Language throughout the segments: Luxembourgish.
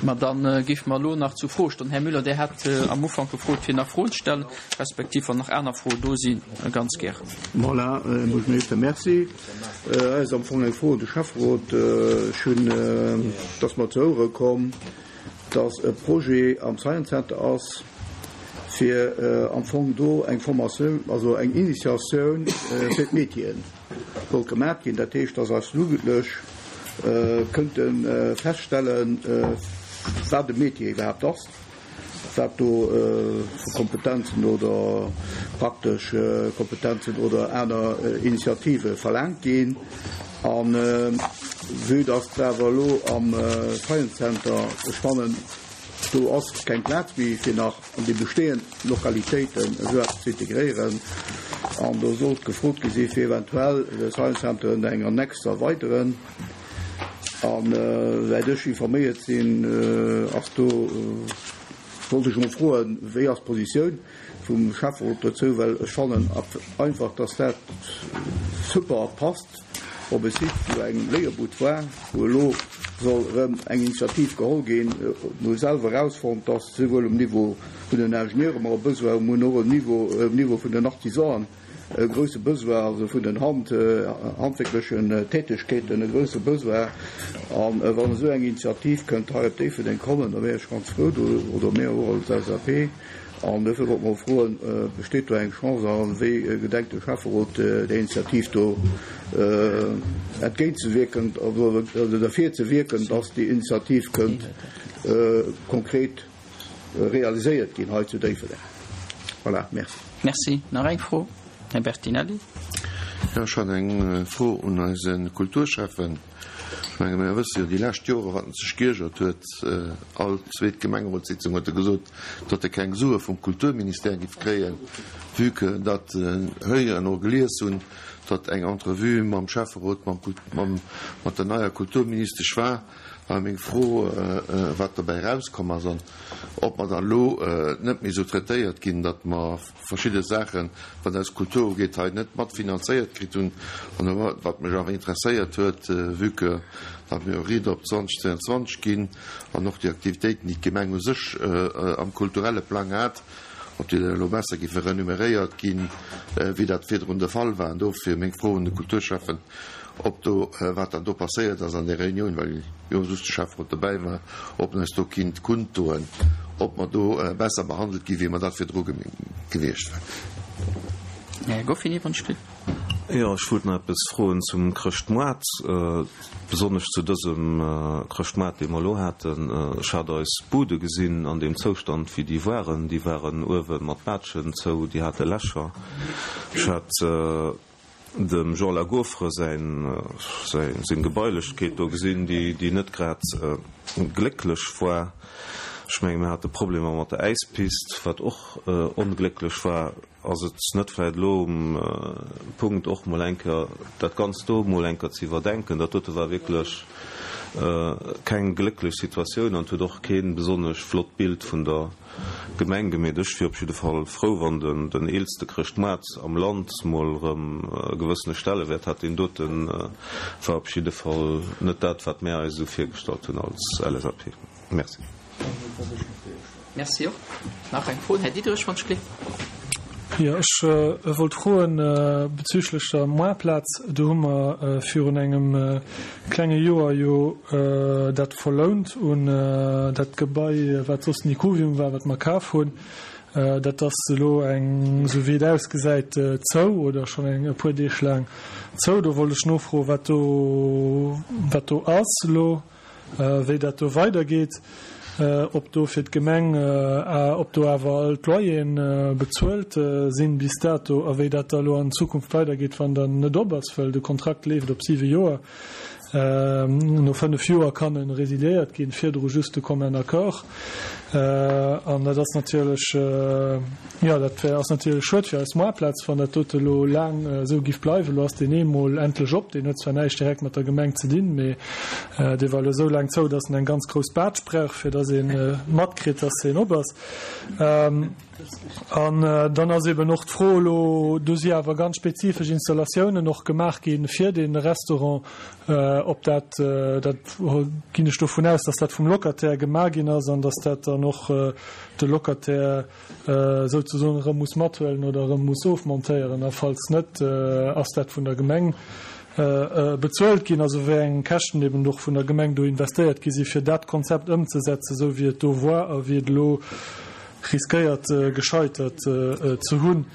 Ma da géife mer elo nach zu Froestonnen. Här Müller, Dir hat am Ufank gefrot, fir nach Froen ze stellen, respektiv wann nach aner Froen do sinn, ganz gären. Voilà, Här Buergermeeschter, merci. Hei ass am Fong eng Fro un de Schäfferot. Ech hunn, et ass mer zu Ouere komm, dass e Projet am Science Center ass, fir am Fong do eng Formatioun, also eng Initiatioun fir d'Métieren sollt gemaach ginn. Dat heescht, dass eis Jugendlech kënnte feststellen, wat e Métier iwwerhaapt ass, wat do vu Kompetenzen oder praktesch Kompetenzen oder aner Initiative verlaangt ginn. A vue dass awer elo am Science Center, ech fannen, do ass keng Plaz méi fir nach an déi bestehend Lokalitéiten esou eppes ze integréieren, an do sollt gefrot gi si fir eventuell de Science Center ëm eng Annex ze erweideren. A wäit ech informéiert sinn, ass do, wollt ech emol froen, wéi ass d'Positioun vum Schäfferot dozou, well ech fannen einfach, dass dat super passt op e Site, wou eng Léierbud war, wou elo soll erëm eng Initiativ geholl ginn. Mir hu selwer erausfonnt, dass souwuel um Niveau vun den Ingenieure mer e Besoin hunn, mer hunn och um Niveau, um Niveau vun den Artisanen e grouse Besoin, also vun den Hand, handwierklechen Tätegkeeten e grouse Besoin. A wann esou eng Initiativ kënnt hei op Déifferdeng kommen, da wär ech ganz frou do, oder mir och als LSAP. An dofir wollt mer froen, Besteet do eng Chance a wéi gedenkt de Schäfferot där Initiativ do entgéintzewierken oder derfir ze wierken, dass déi Initiativ kënnt konkret realiséiert ginn hei zu Déifferdeng? Voilà, merci. Merci. Nach eng Fro, Här Bertinelli. Jo, ech hat eng Fro un eise Kulturschäffen. Ech menge mir wësse jo déi lescht Jore wat en sech giergert huet. All zweet Gemengerotssitzung huet e gesot, datt e keng Sue vum Kulturministère giff kréien, vue que datt en héieren or gelies hunn, datt eng Entrevue mam Schäfferot mam mam mat der neier Kulturministesch war. War meng Fro, wat dobäi erauskomm ass an ob mer dann elo net méi esou traitéiert ginn, datt mer verschidde Saachen, wat eis Kultur ugeet, hei net matfinanzéiert kritt hunn. An wat mech awer interesséiert huet, vue que datt mir jo Rider op 2022 ginn an och déi Aktivitéiten, déi d'Gemeng u sech am kulturelle Plang hat, ob déi dann elo besser géife renumeréiert ginn, wéi dat virdrun de Fall war. An dofir meng Fro un de Kulturschäffen, ob do, wat dann do passéiert ass an där Reunioun, well jo just de Schäfferot dobäi war, ob en eis do kinnt kunddoen, ob mer do besser behandelt gi wéi mer dat virdru gewiescht waren. Här Goffin, Iwwrens Spill. Jo, ech wollt nach eppes froen zum Chrëschtmoart, besonnesch zu dësem Chrëschtmoart, dee mer elo haten. Ech hat eis Bude gesinn an deem Zoustand, wéi déi waren. Déi waren uewe mat Baatschen zou, déi hate Lächer. Ech hat dem Jean Lagaufre säin, seng Gebailechkeet do gesinn, déi, déi net grad glécklech war. Ech menge mir hate Problemer mat der Äispist, wat och onglécklech war. Ass et net vläicht elo um Punkt och mol eng Kéier dat Ganzt do mol eng Kéier ze iwwerdenken? Dat dote war wierklech keng glécklech Situatioun an et huet och kee besonnesch flott Bild vun der Gemeng gemeet. Ech wier op jidde Fall frou, wann den eelste Chrëschtmoart am Land mol erëm e gewëssene Stellewäert hätt. Deen dote war op jidde Fall net dat, wat mär eis esou virgestallt hunn als LSAP. Merci. Merci och. Nach eng Fro, Här Diderich, wann ech gleef. Jo, ech wollt froen bezüglech der Moartplaz. Do hu mer virun engem klenge Joer jo dat verlount un dat Gebai, wat soss den Ikuvium war, wat mer kaf hunn. Dat ass elo eng, esou wéi et ausgesäit, zou oder schonn eng e puer Deeg laang zou. Do wollt ech nofroen, wat do, wat do ass elo. wéi dat do weidergeet, ob do fir d'Gemeng, ob do awer all d'Loyeren bezuelt sinn bis dato a wéi dat da elo an Zukunft weidergeet, wann dann net op ass, well de Kontrakt leeft op siwe Joer. No fënnef Joer kann e resiliéiert ginn, virdru just de commun accord. An dat ass natierlech, jo, dat wär, ass natierlech schued fir eis Moartplaz, wann dat dote elo laang esou giff bleiwen. Elo ass deen eemol endlech op, deen huet zwar näischt direkt mat der Gemeng ze dinn, mee dee war elo esou laang zou, datt en eng ganz grouss Baatsch brauch, fir datt ee matkritt, datt en op ass. An dann ass eben och d'Fro elo, do si awer ganz spezifesch Installatiounen och gemaach gi fir dee Restaurant. Ob dat, dat ginn ech dovun aus, dass dat vum Locataire gemaach ginn ass an dass dat dann och de Locataire souzesoen erëm muss mathuelen oder erëm muss ofmontéieren. A falls net, ass dat vun der Gemeng bezuelt ginn, also wéi eng Käschten eben och vun der Gemeng do investéiert gi si fir dat Konzept ëmzesetzen, esou wéi et do war a wéi et elo riskéiert gescheitert ze hunn,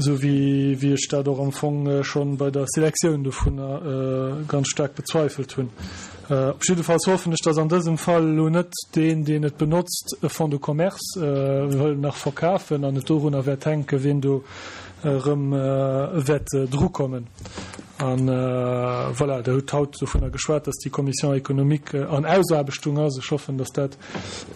esou wéi wéi ech dat och am Fong schonn bei der Selektioun dovunner ganz staark bezweifelt hunn. Op jiddefalls hoffen ech, dass an dësem Fall elo net deen, deen et benotzt, e Fonds de commerce wëll nach verkafen an et dorunner wäert hänken, wien do erëm wäert drukommen. A voilà, Der hutt haut dovunner geschwat, dass déi Commission économique an Ausaarbechtung ass. Ech hoffen, dass dat,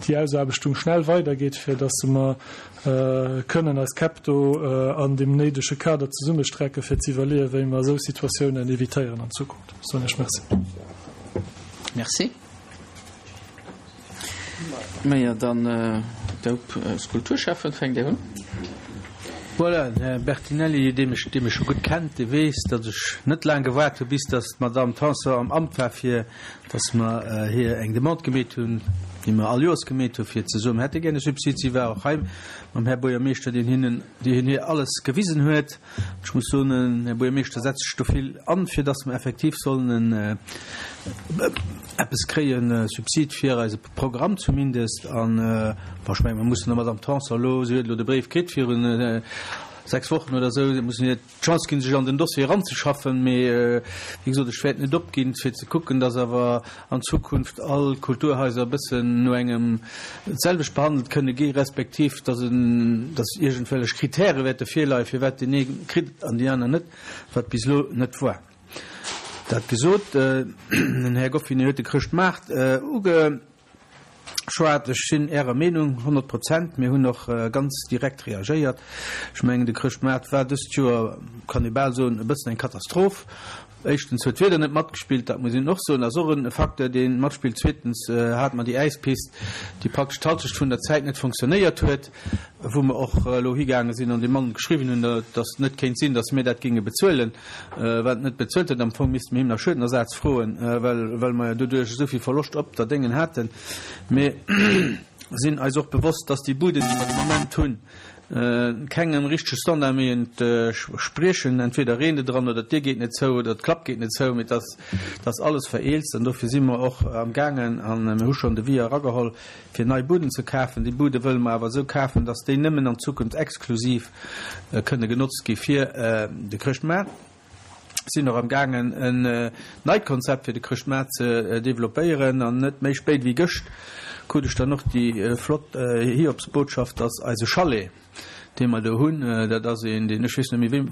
déi Ausaarbechtung schnell weidergeet, fir dass mer kënnen eis Käpp do an deem néidege Kader zesummestrecken, fir ze iwwerleeën, wéi mer esou Situatiounen evitéieren an Zukunft. Soen ech Merci. Merci. Majo, dann Daup als Kulturschäffen, fänkt Dir un. Voilà, den Här Bertinelli, dee mech, dee mech scho gutt kennt, dee weess, datt ech net laang gewaart hu bis datt d'Madame Tanson am Amt war, fir datt mer hir eng Demande gemeet hunn, déi mer all Joers gemeet hunn, fir ze soen, mer hätte gär e Subsid. Si war och hei mam Här Buergermeeschter, deen hinnen, deen hir alles gewisen huet. Ech muss soen, den Här Buergermeeschter setzt sech do vill an, fir datt mer effektiv sollen en eppes kréien, e Subsid fir eise Programm zumindest. An, bon, ech mengen, mer mussen der Madame Tanson elo, si huet elo de Bréif kritt virun 6 Wochen oder esou, mussen hir d'Chance ginn, sech an den Dossier eranzeschaffen. Mee, wéi gesot, ech wäert net opginn, fir ze kucken, datt awer an Zukunft all d'Kulturhaiser e bëssen no engem d'selwecht behandelt kënne gi respektiv datt en, datt iergendwellech Kritäre wäerte virleien, firwat deen ee kritt an déi aner net, wat bis elo net war. Dat gesot, den Här Goffinet huet de Chrëschtmaart ugeschwat. Ech sinn Ärer Meenung, 100 Prozent. Mir hunn och ganz direkt reagéiert. Ech mengen, de Chrëschtmaart war dëst Joer, kann ee bal soen, e bëssen eng Katastroph. Éischtens huet d'Wieder net matgespillt, dat muss een och soen, ass och e Facteur, dee matspillt. Zweetens hate mer déi Äispist, déi praktesch d'Halschecht vun der Zäit net fonctionnéiert huet, wou mer och elo higaange sinn an dem Mann geschriwwen hunn, datt et net kéint sinn, datt mir dat géinge bezuelen, wat en net bezuelt huet. Am Fong misste mir him nach Schuedenersaz froen, well well mer jo doduerch esou vill Verloscht op der Déngen haten. Mir sinn eis och bewosst, datt déi Buden, déi mer de Moment hunn, kengem richtege Standard méi entspriechen. Entweder reent et eran oder d'Dier geet net zou oder d'Klapp geet net zou, mee et ass, et ass alles vereelzt an dofir si mer och am gaangen a mir hu schonn Devis erageholl, fir nei Buden ze kafen. Déi Bude wëlle mer awer esou kafen, dass déi nëmmen an Zukunft exklusiv kënne genotzt gi fir de Chrëschtmaart. Sinn och am gaangen en neit Konzept fir de Chrëschtmaart ze developpéieren an net méi spéit wéi gëscht krut ech dann och déi flott Hiobsbotschaft, dass eise Chalet, dee mer do hunn, dat ass een, deen, ech weess net méi wéi,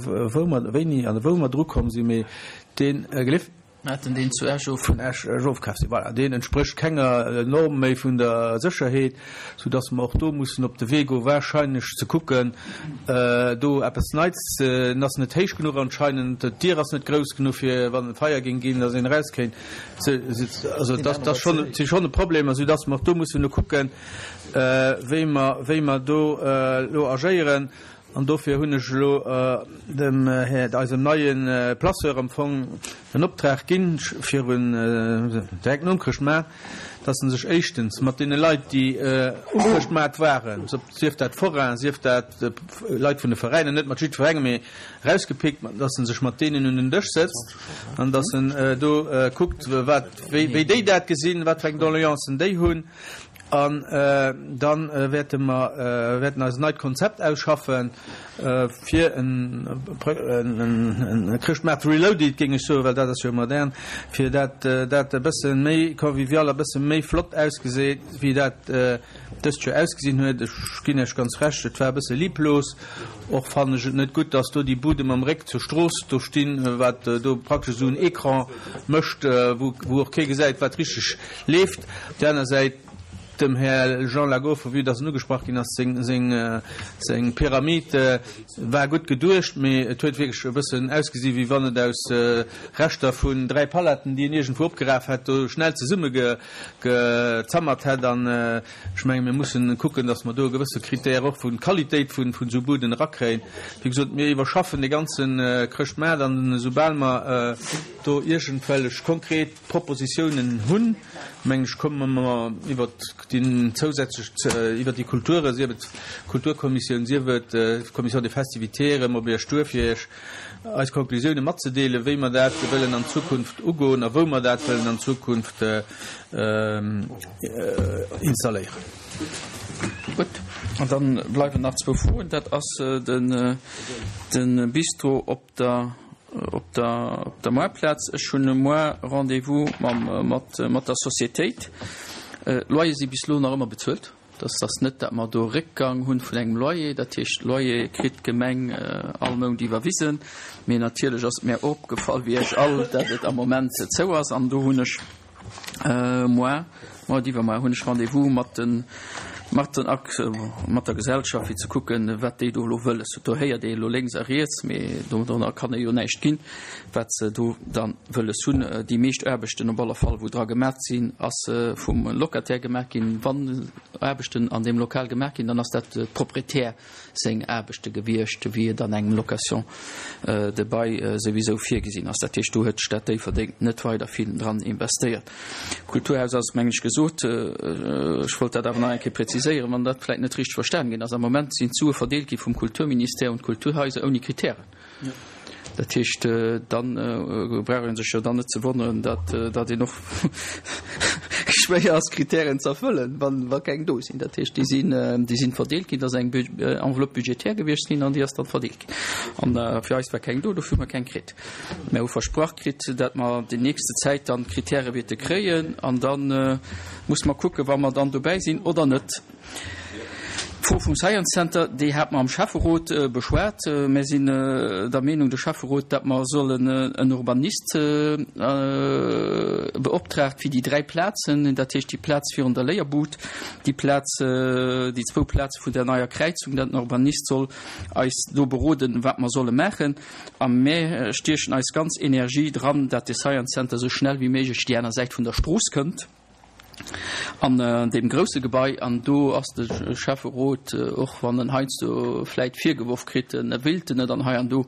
wou mer, wéini an wou mer drukomm sinn, mee deen, gelift? Mir haten deen zu Esch of. Vun Esch ofkaf sinn. Voilà, deen entsprécht kenger Norm méi vun der Sécherheet, soudass mer och do mussen op de Wee goen, wahrscheinlech ze kucken, do eppes Neits ze. En ass net héich genuch anscheinend, d'Dier ass net grouss genuch, fir wann e Feier géing ginn, dass een eraus kéint. Also dat ass schonn, si schonn e Problem, soudass mer och do mussen elo kucken, wéi mer, wéi mer do elo agéieren. An dofir hunn ech elo dem Här, eisem neie Placeur am Fong en Optrag ginn, virun, direkt nom Chrëschtmaart, dass en sech éischtens mat deene Leit, déi um Chrëschtmaart waren, sief dat Forainen, sief dat Leit vun de Veräiner, net mat jiddwerengem, mee erausgepickt, dass en sech mat deenen un den Dësch sëtzt an dass en do kuckt, wat, wéi déi dat gesinn, wat fir eng Doleancen déi hunn. An da wäerte mer wäerten eis en neit Konzept ausschaffen, fir en Chrëschtmaart reloaded, géing ech soen, well dat ass jo modern, fir dat dat e bësse méi convivial a bësse méi flott ausgeséit, wéi dat dëst Joer ausgesinn huet. Ech ginn Iech ganz Recht, et war e bësse lieblos. Och fannen ech et net gutt, dass do déi Bude mam Réck zur Strooss do stinn, wat do praktesch esou en Ecran mécht, wou och kee gesäit, wat richteg leeft. Op där aner Säit. Dem Här Jean Lagoff, vue dass en ugesprach ginn ass, seng, seng, seng Pyramid war gutt geduecht, mee et huet wierklech e bëssen ausgesi wéi wann et aus Reschter vun 3 Paletten, déi en iergendwou opgeraf hätt, do schnell zesumme ge, gezammert hätt. An ech menge mir mussen kucken, dass mer do e gewësse Critère och vu Qualitéit vun, vun esou Buden erakréien. Wéi gesot, mir iwwerschaffen de ganze Chrëschtmaart an esoubal mer do iergendwellech konkret Propositiounen hunn, mengen ech, komme mer iwwert déi zousätzlech, iwwert déi Kulture, sief et d'Kulturkommissioun, sief et d'Commission des festivités, erëm op Iech duer, fir Iech eis Konklusiounen matzedeelen, wéi mer dat wëllen an Zukunft ugoen a wou mer dat wëllen an Zukunft installéieren. Gutt, an da bleiwen nach zwou Froen. Dat ass de Bistro op der op der op der Moartplaz. Ech hunn e Moar Rendez-vous mam mat mat der Sociétéit. D'Loyer si bis elo nach ëmmer bezuelt. Dat ass net, dat mer do Réckgang hunn vun engem Loyer. Dat heescht, Loyer kritt d'Gemeng all Mount iwwerwisen. Mee natierlech ass et mär opgefall, wéi Iech all, dat et am Moment zou ass. An do hunn ech Moar, moar oder iwwermoar hunn ech Rendez-vous mat den, mat den Ak, mat der Gesellschaft, fir ze kucken, wat déi do elo wëlles hunn. Do héiert ee elo lénks a riets, mee dorunner kann ee jo näischt ginn, wat se do da wëlles hunn. Déi meescht Aarbechten op alle Fall, wou dra gemat sinn, ass vum Locataire gemaach ginn. Wann Aarbechten an deem Lokal gemaach ginn, dann ass dat de Proprietär. seng Aarbechte gewiescht, wéi et an engem Location de bail souwisou virgesinn ass. Dat heescht, do huet d'Stad Déifferdeng net weider vill dran investéiert. D'Kulturhaus ass, mengen ech, gesot. Ech wollt dat awer nach eng Kéier präziséieren, wann dat vläicht net richteg verstanen ginn ass. Am Moment sinn d'Sue verdeelt gi vum Kulturministère un d'Kulturhaiser ouni Kritären. Dat heescht, da brauch ee sech jo dann net ze wonneren, datt datt een och schwéier ass, Kritären ze erfëllen, wann wa keng do sinn. Dat heescht, déi sinn déi sinn verdeelt ginn, dat ass eng Enveloppe budgétaire gewiescht ginn an déi ass dann verdeelt ginn. An fir eis war keng do, dofir hu mer keng kritt. Mer hu versprach kritt, datt mer déi nächste Zäit dann d'Kritäre wäerte kréien an da muss mer kucken, wa mer dann dobäi sinn oder net. D'Fro vum Science Center, déi hate mer am Schäfferot beschwat. Mir sinn der Meenung, de Schäfferot, datt mer sollen en Urbanist beoptraagt fir déi 3 Plazen, dat heescht déi Plaz virun der Léierbud, déi Plaz, déi zwou Plaze vun der neier Kräizung, datt en Urbanist soll eis do beroden, wat mer solle maachen. A mir stiechen eis ganz Energie dran, datt de Science Center esou schnell wéi méiglech déi aner Säit vun der Strooss kënnt. An deem grousse Gebai, an do ass de Schäfferot, och wann en heiansdo vläit virgeworf kritt, en wéilt en net, an hei an do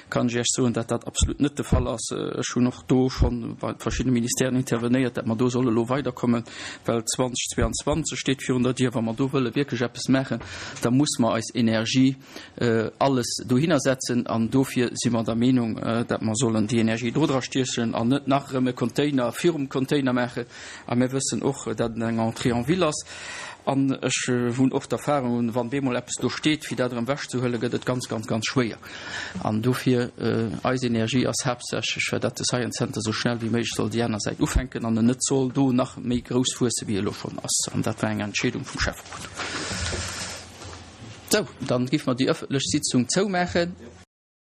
kann ech Iech soen, datt dat absolut net de Fall ass. Ech hunn och do scho bei verschiddene Ministèren intervenéiert, datt mer do solle lo weiderkommen, well 2022 steet virun der Dier. Wa mer do wëlle wierklech eppes maachen, da muss mer eis Energie alles dohinner setzen an dofir si mer der Meenung, datt mer sollen déi Energie do dra stiechen an net nach erëm e Container virum Container maachen. A mir wëssen och, datt et eng Entrée en ville ass an ech hunn och d'Erfahrung, wann bemol eppes do steet, fir dat erëm ewechzehuelen, gëtt et ganz, ganz, ganz schwéier. An dofir, eis Energie ass haaptsächlech, fir datt de Science Center esou schnell wéi méiglech soll déi aner Säit ufänken an en net soll do nach méi grouss wuesse wéi e elo schonn ass. An dat war eng Entscheedung vum Schäfferot. Sou, dann giff mer déi öffentlech Sitzung zoumaachen.